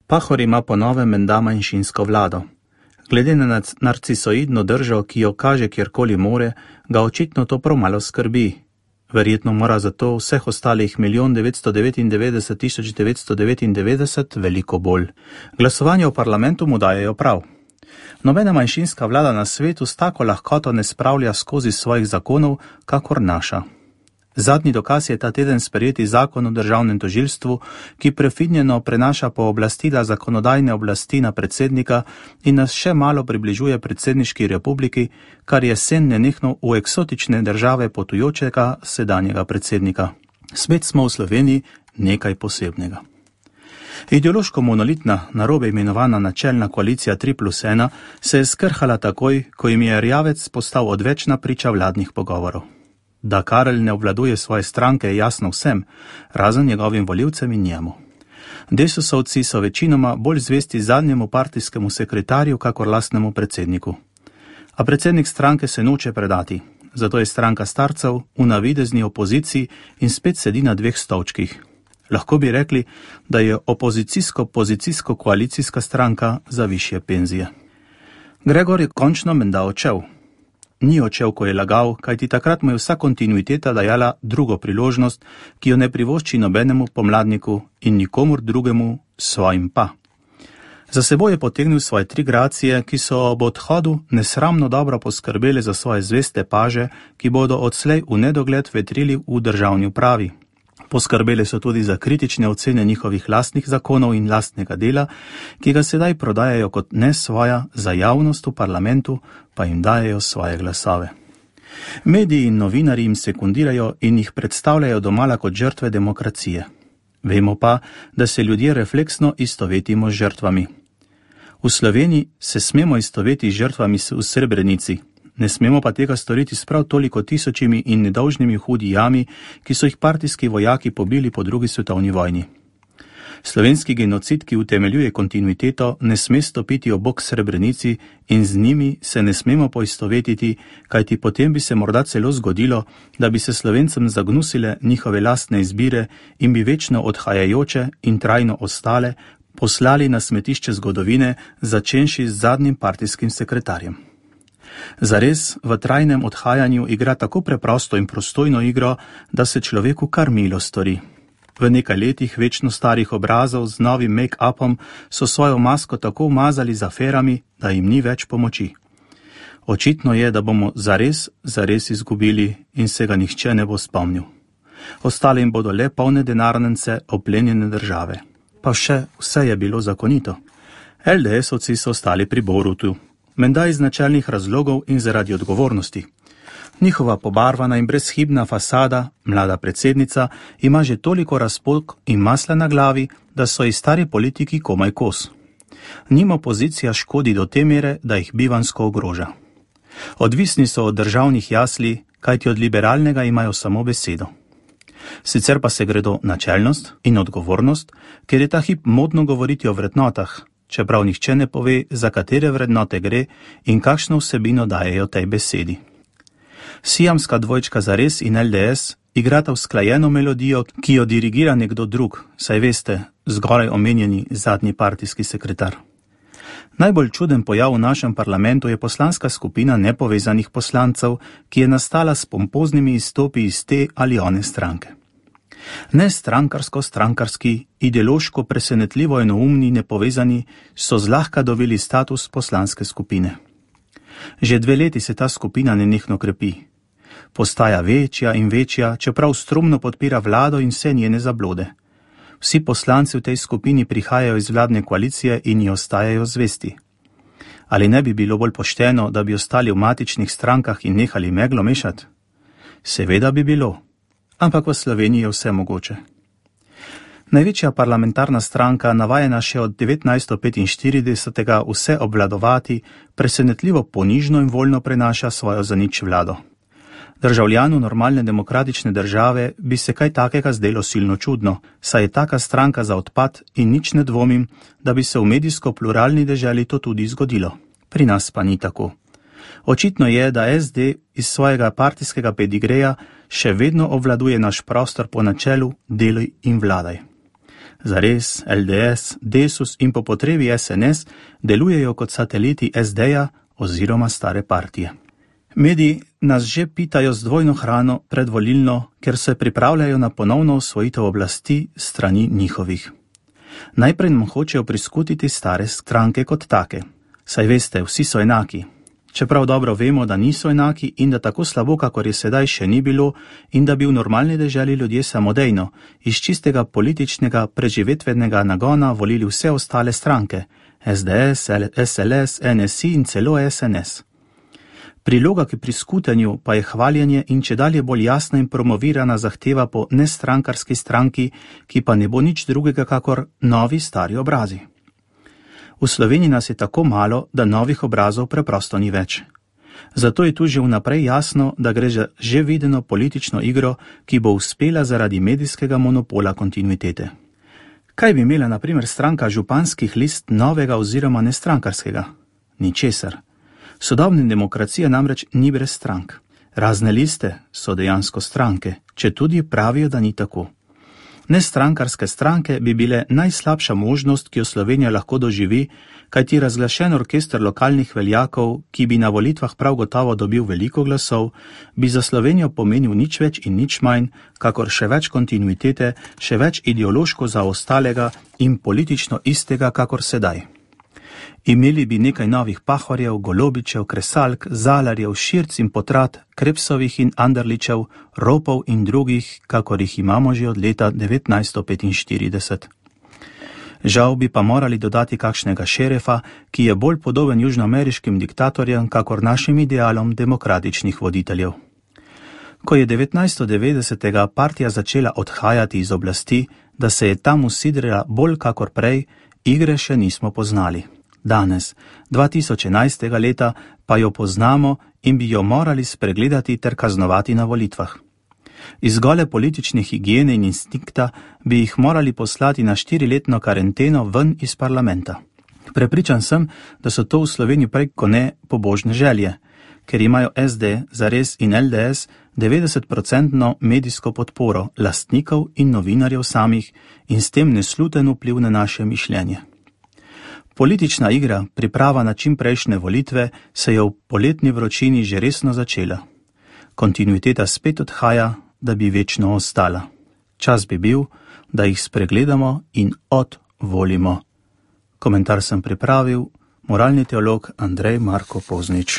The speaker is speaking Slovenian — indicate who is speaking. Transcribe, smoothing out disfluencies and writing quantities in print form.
Speaker 1: Pahor ima po novem menda manjšinsko vlado. Glede na narcisoidno držo, ki jo kaže kjerkoli more, ga očitno to prav malo skrbi. Verjetno mora zato vseh ostalih 1.999.999 veliko bolj. Glasovanje v parlamentu mu dajejo prav. Nobena manjšinska vlada na svetu s tako lahkoto ne spravlja skozi svojih zakonov, kakor naša. Zadnji dokaz je ta teden sprejeti zakon o državnem tožilstvu, ki prefinjeno prenaša pooblastila zakonodajne oblasti na predsednika in nas še malo približuje predsedniški republiki, kar je sen nenehno v eksotične države potujočega sedanjega predsednika. Spet smo v Sloveniji nekaj posebnega. Ideološko monolitna, narobe imenovana načelna koalicija 3+1 se je skrhala takoj, ko jim je Erjavec postal odvečna priča vladnih pogovorov. Da Karel ne obvladuje svoje stranke, je jasno vsem, razen njegovim volivcem in njemu. Desusovci so večinoma bolj zvesti zadnjemu partijskemu sekretarju, kakor lastnemu predsedniku. A predsednik stranke se noče predati, zato je stranka starcev v navidezni opoziciji in spet sedi na dveh stolčkih. Lahko bi rekli, da je opozicijsko-pozicijsko-koalicijska stranka za višje penzije. Gregor je končno menda odšel. Ni odšel, ko je lagal, kajti takrat mu je vsa kontinuiteta dajala drugo priložnost, ki jo ne privošči nobenemu pomladniku in nikomur drugemu, svojim pa. Za seboj je potegnil svoje 3 gracije, ki so ob odhodu nesramno dobro poskrbeli za svoje zveste paže, ki bodo odslej v nedogled vetrili v državni upravi. Poskrbeli so tudi za kritične ocene njihovih lastnih zakonov in lastnega dela, ki ga sedaj prodajajo kot ne svoja, za javnost v parlamentu pa jim dajejo svoje glasove. Mediji in novinarji jim sekundirajo in jih predstavljajo domala kot žrtve demokracije. Vemo pa, da se ljudje refleksno istovetimo z žrtvami. V Sloveniji se smemo istoveti z žrtvami v Srebrenici. Ne smemo pa tega storiti s prav toliko tisočimi in nedolžnimi hudijami, ki so jih partijski vojaki pobili po 2. svetovni vojni. Slovenski genocid, ki utemeljuje kontinuiteto, ne sme stopiti ob bok Srebrenici in z njimi se ne smemo poistovetiti, kajti potem bi se morda celo zgodilo, da bi se Slovencem zagnusile njihove lastne izbire in bi večno odhajajoče in trajno ostale poslali na smetišče zgodovine, začenši z zadnjim partijskim sekretarjem. Zares v trajnem odhajanju igra tako preprosto in prostojno igro, da se človeku kar milo stori. V nekaj letih večno starih obrazov z novim make-upom so svojo masko tako umazali z aferami, da jim ni več pomoči. Očitno je, da bomo zares izgubili in se ga nihče ne bo spomnil. Ostale jim bodo le polne denarnice oplenjene države. Pa še vse je bilo zakonito. LDS-ovci so ostali pri Borutu. Menda iz načelnih razlogov in zaradi odgovornosti. Njihova pobarvana in brezhibna fasada, mlada predsednica, ima že toliko razpok in masla na glavi, da so ji stari politiki komaj kos. Njim opozicija škodi do te mere, da jih bivanjsko ogroža. Odvisni so od državnih jasli, kajti od liberalnega imajo samo besedo. Sicer pa se gredo načelnost in odgovornost, ker je ta hip modno govoriti o vrednotah, čeprav nihče ne pove, za katere vrednote gre in kakšno vsebino dajejo tej besedi. Siamska dvojčka Zares in LDS igrata usklajeno melodijo, ki jo dirigira nekdo drug, saj veste, zgoraj omenjeni zadnji partijski sekretar. Najbolj čuden pojav v našem parlamentu je poslanska skupina nepovezanih poslancev, ki je nastala s pompoznimi izstopi iz te ali one stranke. Ne strankarski, ideološko presenetljivo enoumni nepovezani so zlahka dobili status poslanske skupine. Že 2 leti se ta skupina nenehno krepi. Postaja večja in večja, čeprav strumno podpira vlado in vse njene zablode. Vsi poslanci v tej skupini prihajajo iz vladne koalicije in ji ostajajo zvesti. Ali ne bi bilo bolj pošteno, da bi ostali v matičnih strankah in nehali meglo mešati? Seveda bi bilo. Ampak v Sloveniji je vse mogoče. Največja parlamentarna stranka, navajena še od 1945. Vse obvladovati, presenetljivo ponižno in voljno prenaša svojo zanič vlado. Državljanu normalne demokratične države bi se kaj takega zdelo silno čudno, saj je taka stranka za odpad in nič ne dvomim, da bi se v medijsko pluralni deželi to tudi zgodilo. Pri nas pa ni tako. Očitno je, da SD iz svojega partijskega pedigreja še vedno obvladuje naš prostor po načelu deluj in vladaj. Zares, LDS, Desus in po potrebi SNS delujejo kot sateliti SD-ja oziroma stare partije. Mediji nas že pitajo z dvojno hrano predvolilno, ker se pripravljajo na ponovno osvojitev oblasti strani njihovih. Najprej nam hočejo priskutiti stare stranke kot take. Saj veste, vsi so enaki. Čeprav dobro vemo, da niso enaki in da tako slabo, kakor je sedaj, še ni bilo in da bi v normalni deželi ljudje samodejno, iz čistega političnega preživetvenega nagona volili vse ostale stranke, SDS, SLS, NSI in celo SNS. Priloga k priskutenju pa je hvaljenje in čedalje bolj jasna in promovirana zahteva po nestrankarski stranki, ki pa ne bo nič drugega kakor novi stari obrazi. V Sloveniji nas je tako malo, da novih obrazov preprosto ni več. Zato je tu že vnaprej jasno, da gre za že videno politično igro, ki bo uspela zaradi medijskega monopola kontinuitete. Kaj bi imela na primer stranka županskih list novega oziroma nestrankarskega? Ničesar. Sodobna demokracija namreč ni brez strank. Razne liste so dejansko stranke, če tudi pravijo, da ni tako. Nestrankarske stranke bi bile najslabša možnost, ki jo Slovenija lahko doživi, kajti razglašen orkester lokalnih veljakov, ki bi na volitvah prav gotovo dobil veliko glasov, bi za Slovenijo pomenil nič več in nič manj, kakor še več kontinuitete, še več ideološko zaostalega in politično istega, kakor sedaj. Imeli bi nekaj novih Pahorjev, Golobičev, Kresalk, Zalarjev, Širc in Potrat, Krepsovih in Anderličev, Ropov in drugih, kakor jih imamo že od leta 1945. Žal bi pa morali dodati kakšnega šerefa, ki je bolj podoben južnoameriškim diktatorjem, kakor našim idealom demokratičnih voditeljev. Ko je 1990. partija začela odhajati iz oblasti, da se je tam usidrila bolj kakor prej, igre še nismo poznali. Danes, 2011. leta, pa jo poznamo in bi jo morali spregledati ter kaznovati na volitvah. Iz gole politične higiene in instinkta bi jih morali poslati na 4-letno karanteno ven iz parlamenta. Prepričan sem, da so to v Sloveniji prej ko ne pobožne želje, ker imajo SD, Zares in LDS 90% medijsko podporo lastnikov in novinarjev samih in s tem nesluten vpliv na naše mišljenje. Politična igra, priprava na čimprejšnje volitve, se je v poletni vročini že resno začela. Kontinuiteta spet odhaja, da bi večno ostala. Čas bi bil, da jih spregledamo in odvolimo. Komentar sem pripravil moralni teolog Andrej Marko Poznič.